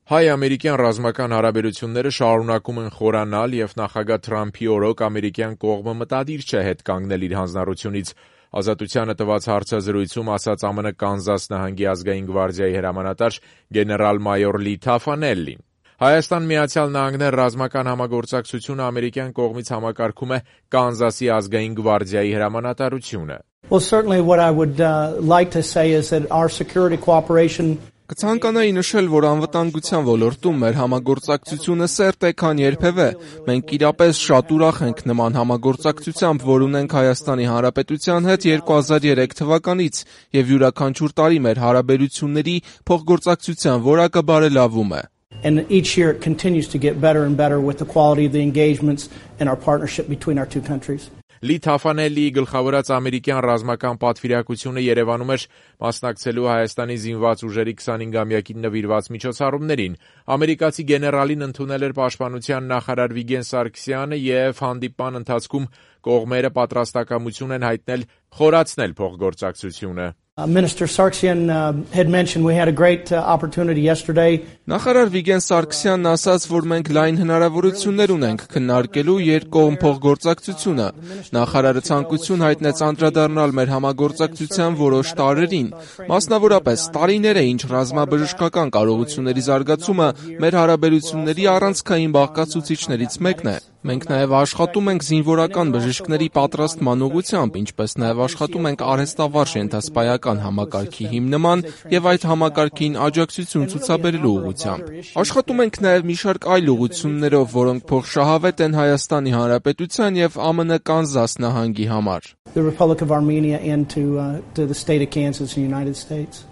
Հայ-ամերիկյան ռազմական հարաբերությունները շարունակում են խորանալ և նախագահ Թրամփի օրոք ամերիկյան կողմը մտադիր չէ հետ կանգնել իր հանձնառությունից, Ազատությանը տված հարցազրույցում ասաց ԱՄՆ Կանզաս նահանգի ազգային գվարդիայի հրամանատար գեներալ-մայոր Լի Թաֆանելլին։ Հայաստան-Միացյալ Նահանգներ ռազմական համագործակցությունը ամերիկյան կողմից համակարգում է Կանզասի ազգային գվարդիայի հրամանատարությունը։ Well, certainly what I would like to say is that our security cooperation Կցանկանայի նշել, որ անվտանգության ոլորտում մեր համագործակցությունը սերտ է, քան երբևէ։ Մենք իրապես շատ ուրախ ենք նման համագործակցությամբ, որ ունենք Հայաստանի Հանրապետության հետ 2003 թվականից, եւ յուրաքանչյուր տարի մեր հարաբերությունների փոխգործակցության որակը բարելավում է։ And each year it continues to get better and better with the quality of the engagements and our partnership between our two countries. Լի Թաֆանելլիի գլխավորած ամերիկյան ռազմական պատվիրակությունը Երևանում էր մասնակցելու Հայաստանի զինված ուժերի 25-ամյակին նվիրված միջոցառումներին։ Ամերիկացի գեներալին ընդունել էր պաշտպանության նախարար Վիգեն Սարգսյանը և հանդիպման ընթացքում կողմերը պատրաստակամություն են հայտնել խորացնել փոխգործակցությունը։ Minister Sargsyan had mentioned we had a great opportunity yesterday. Նախարար Վիգեն Սարգսյանն ասաց, որ մենք լայն հնարավորություններ ունենք քննարկելու երկկողմ փոխգործակցությունը։ Նախարարը ցանկություն հայտնեց անդրադառնալ մեր համագործակցության որոշ տարրերին, մասնավորապես տարիներ է ինչ ռազմաբժշկական կարողությունների զարգացումը մեր հարաբերությունների առանցքային բաղկացուցիչներից մեկն է։ Մենք նաև աշխատում ենք զինվորական բժիշկների պատրաստման ուղղությամբ, ինչպես նաև աշխատում ենք արհեստավարժ ենթասպայական համակարգի հիմնման եւ այդ համակարգին աջակցություն ցուցաբերելու ուղղությամբ։ Աշխատում ենք նաև մի շարք այլ ուղղություններով, որոնք փոխշահավետ են Հայաստանի Հանրապետության եւ ԱՄՆ Կանզաս նահանգի համար։ The Republic of Armenia and to the state of Kansas in the United States.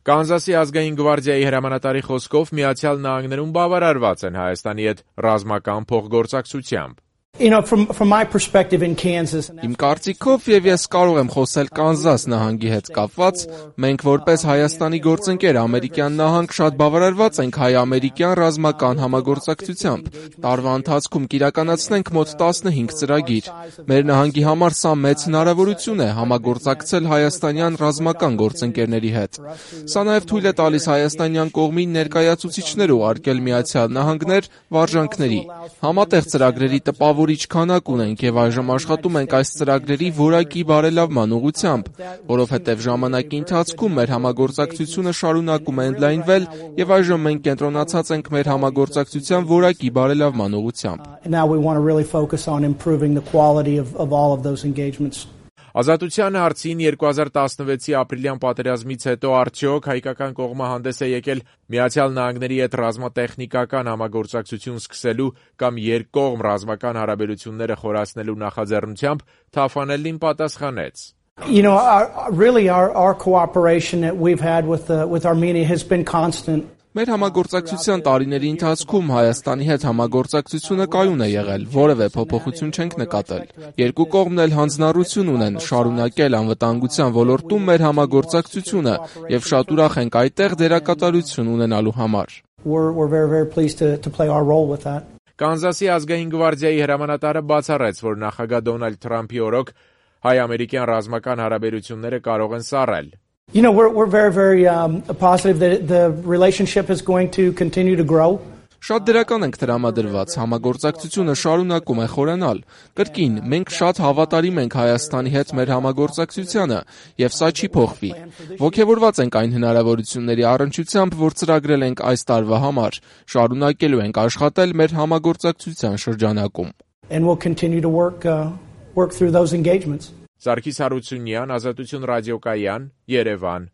Կանզասի ազգային գվարդիայի հրամանատարի խոսքով Միացյալ Նահանգներում բավարարված են Հայաստանի հետ ռազմական փոխգործակցությամբ։ You know, from my perspective in Kansas. Իմ կարծիքով եւ ես կարող եմ խոսել Կանզաս նահանգի հետ կապված, մենք որպես Հայաստանի գործընկեր ամերիկյան նահանգ շատ բավարարված ենք հայ-ամերիկյան ռազմական համագործակցությամբ։ Տարվա ընթացքում կիրականացնենք մոտ 15 ծրագիր։ Մեր նահանգի համար սա մեծ հնարավորություն է համագործակցել հայաստանյան ռազմական գործընկերների հետ։ Սա նաև թույլ է տալիս հայաստանյան կողմին ներկայացուցիչներ ուղարկել Միացյալ Նահանգներ վարժանքների։ Համատեղ ծրագրերի տպավորիչ քանակ ունենք եւ այժմ աշխատում ենք այս ծրագրերի որակի բարելավման ուղղությամբ, որովհետեւ ժամանակի ընթացքում մեր համագործակցությունը շարունակում է ընդլայնվել եւ այժմ մենք կենտրոնացած ենք մեր համագործակցության որակի բարելավման ուղղությամբ։ Now we want to really focus on improving the quality of all of those engagements. Ազատության հարցին 2016-ի ապրիլյան պատերազմից հետո արդյոք հայկական կողմը հանդես է եկել Միացյալ Նահանգների հետ ռազմատեխնիկական համագործակցություն սկսելու կամ երկկողմ ռազմական հարաբերությունները խորացնելու նախաձեռնությամբ, Թաֆանելլին պատասխանեց. You know, our cooperation that we've had with Armenia has been constant. Մեր համագործակցության տարիների ընթացքում Հայաստանի հետ համագործակցությունը կայուն է եղել, որևէ փոփոխություն չենք նկատել։ Երկու կողմն էլ հանձնառություն ունեն շարունակել անվտանգության ոլորտում մեր համագործակցությունը եւ շատ ուրախ ենք այդտեղ դերակատարություն ունենալու համար։ We're very pleased to play our role with that. Կանզասի ազգային գվարդիայի հրամանատարը բացառեց, որ նախագահ Դոնալդ Թրամփի օրոք հայ-ամերիկյան ռազմական հարաբերությունները կարող են սառել։ You know, we're very positive that the relationship is going to continue to grow. Շատ դրական ենք տրամադրված, համագործակցությունը շարունակում է խորանալ։ Կրկին, մենք շատ հավատարիմ ենք Հայաստանի հետ մեր համագործակցությանը, եւ սա չի փոխվի։ Ողջավորված ենք այն հնարավորությունների առնչությամբ, որ ծրագրել ենք այս տարվա համար։ Շարունակելու ենք աշխատել մեր համագործակցության շրջանակում։ And we'll continue to work through those engagements. Սարգիս Հարությունյան, Ազատություն ռադիոկայան, Երևան։